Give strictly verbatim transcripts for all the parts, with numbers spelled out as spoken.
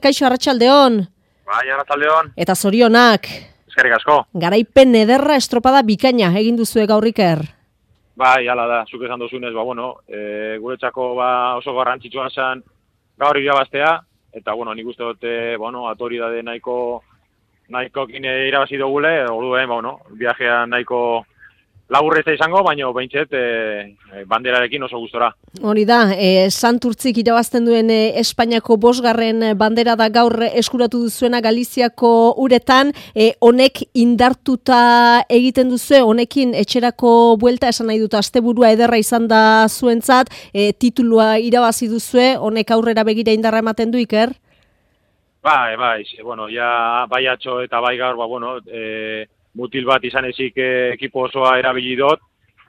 Kaixo, arratsaldeon. Bai, arratsaldeon. Eta zorionak. Eskerrik asko. Garaipen ederra estropada bikaina egin duzue gaur Iker. Bai, hala da, zuk esan duzunez, ba, bueno, e, guretzako ba, oso garrantzitsua zen gaur irabaztea, eta, bueno, nik uste dute, bueno, autoridade nahiko, nahiko kine irabazi dugule, orduen, ba, bueno, viajea nahiko laburreza izango, baina behintzet e, banderarekin oso gustora. Hori da, e, Santurtzik irabazten duen e, Espainiako bosgarren bandera da gaur eskuratu duzuena Galiziako uretan, e, honek indartuta egiten duzue, honekin etxerako buelta esan nahi dut, asteburua ederra izan da zuentzat, e, titulua irabazi duzue, honek aurrera begira indarra ematen du, Iker? Bai, bai, bueno, ja bai atxo eta bai gaur, ba, bueno, e, mutil bat izan ezik ekipo osoa erabili dut,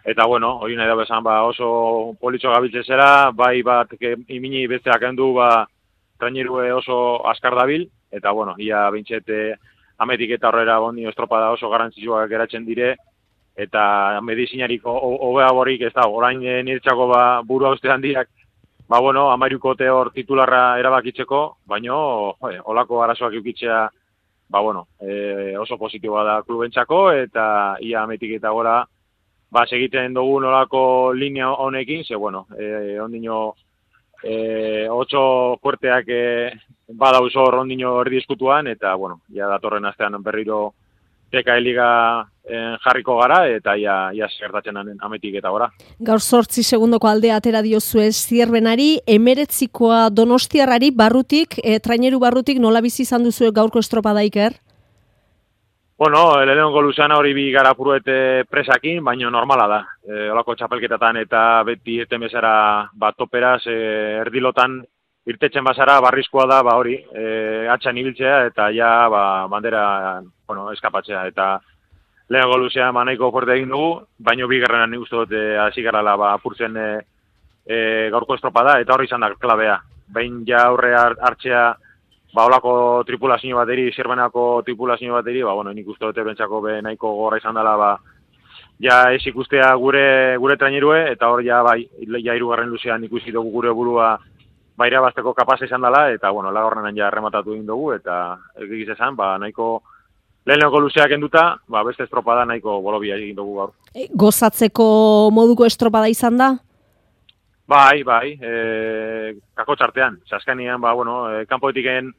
eta bueno, hori nahi da bezan ba, oso politxo gabiltzen zera, bai bat imini besteak hendu ba, trainerue oso askar dabil, eta bueno, ia bintxete ametik eta horrera bondi estropada oso garrantzitsuak geratzen dire, eta medizinariko hobea borik ez da, orain nirtxako ba, buru hauste handiak, ba bueno, amairukote hor titularra erabakitzeko, baino, olako arazoak eukitzea, ba, bueno, e, oso positiboa da klubentzako, eta ia ametik eta gora, ba, segiten dugu nolako linea honekin, ze, bueno, e, ondino, e, otso fuerteak e, badauz hor ondino erdi eskutuan, eta, bueno, ja datorren astean berriro teka eliga en, jarriko gara, eta ia, ia gertatzen ametik eta gora. Gaur sortzi segundoko aldea atera diozue Zierbenari, emeretzikoa Donostiarrari barrutik, e, traineru barrutik nola bizi izan duzue gaurko estropada, Iker? Bueno, lehenengo luzean hori bi gara puruete presakin, baina normala da. E, olako txapelketatan eta beti eten bezara bat toperaz, e, erdilotan irtetzen bazara barrizkoa da, ba hori, e, atxan ibiltzea eta ja ba, bandera bueno, eskapatzea. Eta lehenengo luzean ba, nahiko fuerte egin dugu, baina bi garrenan nik uste dut hasi garala ba, apurtzen e, e, gaurko estropada, eta hori izan da klabea. Behin ja aurre hartzea ba, olako tripulazio bateri, Zierbenako tripulazio bateri, ba, bueno, nik uste dute bentsako be nahiko gorra izan dela, ba, ja ez ikustea gure, gure trainerue, eta hor ja, bai, ja irugarren luzean ikusi dugu gure burua ba, irabazteko kapaz izan dela, eta, bueno, lagorrenan ja rematatu egin dugu, eta egiz esan, ba, nahiko lehenengo luzeak enduta, ba, beste estropada nahiko bolobia egin dugu gaur. E, gozatzeko moduko estropada izan da? Bai, bai, e, kako txartean. Zaskanian, ba, bueno, e, kanpoetiken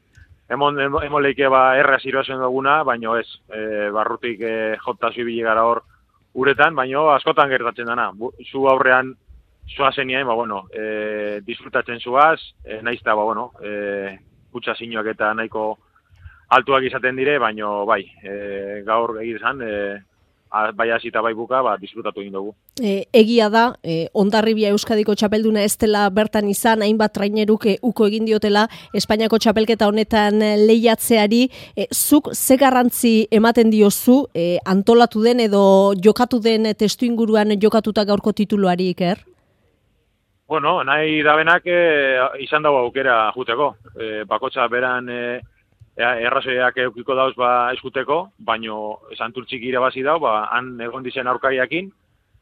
emon, emon leike ba, erraz iroazen duguna, baino ez, e, barrutik e, jota zibili gara hor uretan, baino askotan gertatzen dana. Zu aurrean zua zenien, ba, bueno, e, disfrutatzen zuaz, e, naizta, ba, bueno, e, kutsa zinuak eta nahiko altuak izaten dire, baino, bai, e, gaur egizan, e, bai hasi eta bai buka, ba, disfrutatu egin dugu. E, egia da, e, Hondarribia Euskadiko txapelduna ez dela bertan izan, hainbat traineruk e, uko egin diotela Espainiako txapelketa honetan lehiatzeari, e, zuk ze garrantzi ematen diozu e, antolatu den edo jokatu den testu inguruan jokatuta gaurko tituluari, Iker? Bueno, nahi dabenak e, izan dago aukera juteko. E, bakotxa beran e, errazoiak eukiko dauz ba eskuteko, baino Santurtzik irabazi dau, ba, han egon dizen aurkariakin,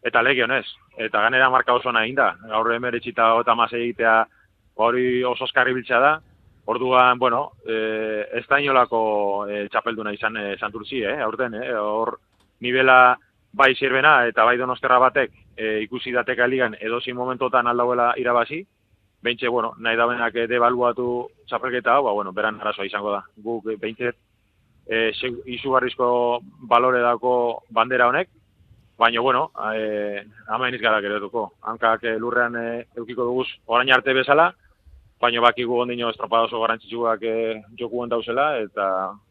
eta legionez. Eta ganera marka oso nahi da. Gaur emeretxita eta masei egitea hori oso oskarri biltzea da. Orduan, bueno, e, ez da inolako e, txapelduna izan e, Santurtzi, eh, aurten, eh, hor nivela bai Zierbena eta bai Donostiarra batek e, ikusi dateka ligan edozin momentotan aldauela irabazi, beintxe, bueno, nahi da benak debaluatu txapelketa hau, ba, bueno, beran arazoa izango da. Guk beintxe e, izugarrizko balore dako bandera honek, baina, bueno, e, ama iniz gara geretuko. Hankak e, lurrean e, eukiko duguz orain arte bezala, baina bakigu ondino estropada oso garrantzitsuak e, jokuen dauzela, eta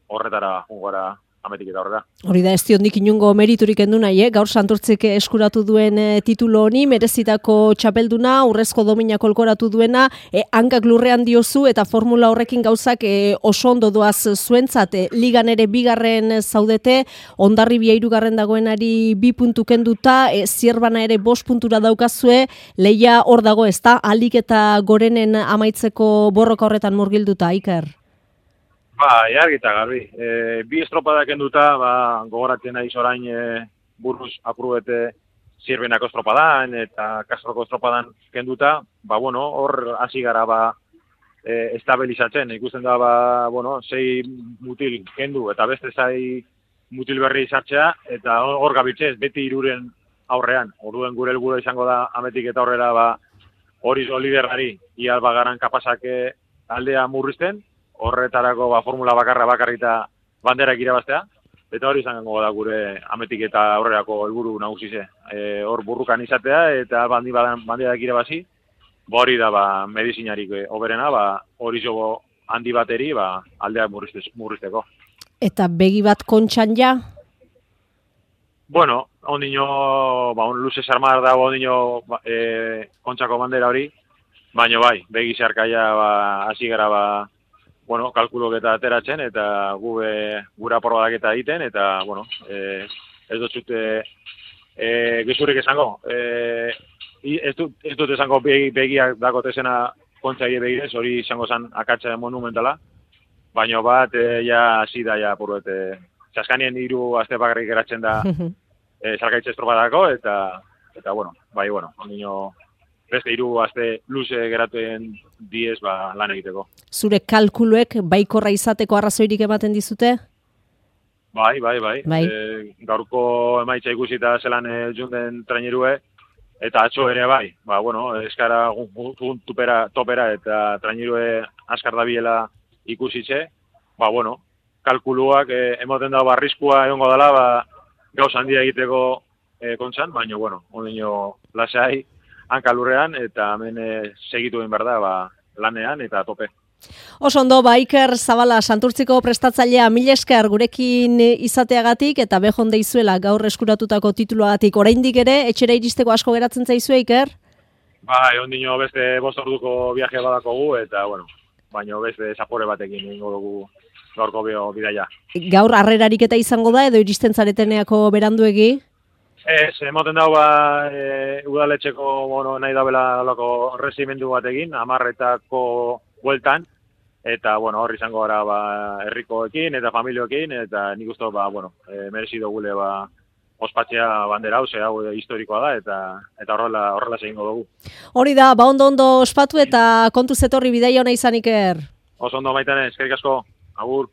horretara jungara ametik eta horrela. Hori da, ez diondik inungo meriturik endu nahi, eh? Gaur Santurtzik eskuratu duen e, titulo honi, merezitako txapelduna, urrezko domina kolkoratu duena, e, hankak lurrean diozu, eta formula horrekin gauzak e, oso ondo doaz zuentzat, e, ligan ere bigarren zaudete, Hondarribia hirugarren dagoenari bi puntu kenduta, e, Zierbana ere bost puntura daukazue, leia hor dago ez da, alik eta gorenen amaitzeko borroka horretan murgilduta, Iker? Ba, argi eta garbi. E, bi estropadak enduta, ba, gogoratzen naiz orain e, buruz apurubete Zierbenako estropadan eta Kastroko estropadan kenduta, ba, bueno, hor hasi gara ba, e, estabilizatzen, ikusten da, ba, bueno, sei mutil kendu eta beste zai mutil berri sartzea, eta hor gabiltzez, beti hiruren aurrean. Orduen gure helburua izango da ametik eta aurrera ba hori liderari ia bagaran kapazak aldea murrizten, horretarako ba formula bakarra bakarrita banderak irabaztea, eta hori izango da gure ametik eta aurrerako helburu nagusize. E, hor burrukan izatea eta bandi badan banderak irabazi, ba hori da ba medizinarik hoberena, ba hori jogo handi bateri ba aldea murrizteko. Eta begi bat kontxan ja? Bueno, ondino, ba, un luze sarmar dago ondino ba, e, kontxako bandera hori, baina bai, begi zeharkaia ba, hasi gara ba, bueno, kalkulok eta ateratzen, eta gube gura porbadak eta egiten, eta, bueno, e, ez dut zute e, gizurik esango. E, ez, dut, ez dut esango begi, begiak dakotezena kontxaile begirez, hori izango zen akatsa monumentala, baina bat, e, ja, hasi da, ja, puruet, e, Zaskanien hiru aste bakarrik geratzen da e, salgaitze estropadako, eta, eta bueno, bai, bueno, ondino, beste hiru aste luze geratzen diez ba, lan egiteko. Zure kalkuluek baikorra izateko arrazoirik ematen dizute? Bai, bai, bai. bai. E, gaurko emaitza ikusita zelan e, junden trainerue, eta atzo ere bai. Ba, bueno, eskara gun tupera, topera eta trainerue askar dabiela ikusitze, ba, bueno, kalkuluak eh, emoten dago arriskua egongo dela, ba, gauz handia egiteko eh, kontxan, baina, bueno, ondino lasai hankalurrean, eta hemen eh, segitu egin behar da, ba, lanean eta tope. Oso ondo, ba, Iker Zabala, Santurtziko prestatzailea, mila esker gurekin izateagatik, eta behon deizuela gaur eskuratutako tituluagatik. Oraindik ere, etxera iristeko asko geratzen zaizue, Iker? Bai, ondino beste bost orduko viaje badakogu, eta, bueno, baina beste zapore batekin egingo dugu gaurko bidaia. Gaur harrerarik eta izango da, edo iristen zareteneako beranduegi? Ez, emoten dago ba, e, udaletxeko bueno, nahi dabela lako resimendu batekin, amarretako bueltan, eta bueno, hor izango gara ba, herrikoekin eta familioekin, eta nik uste ba, bueno, e, merezi dugule ba, ospatzea bandera hau, ze hau historikoa da, eta eta horrela horrela egingo dugu. Hori da, ba ondo ondo ospatu eta kontu zetorri bidaia ona izan, Iker. Oso ondo Maitane, eskerrik asko. Agur.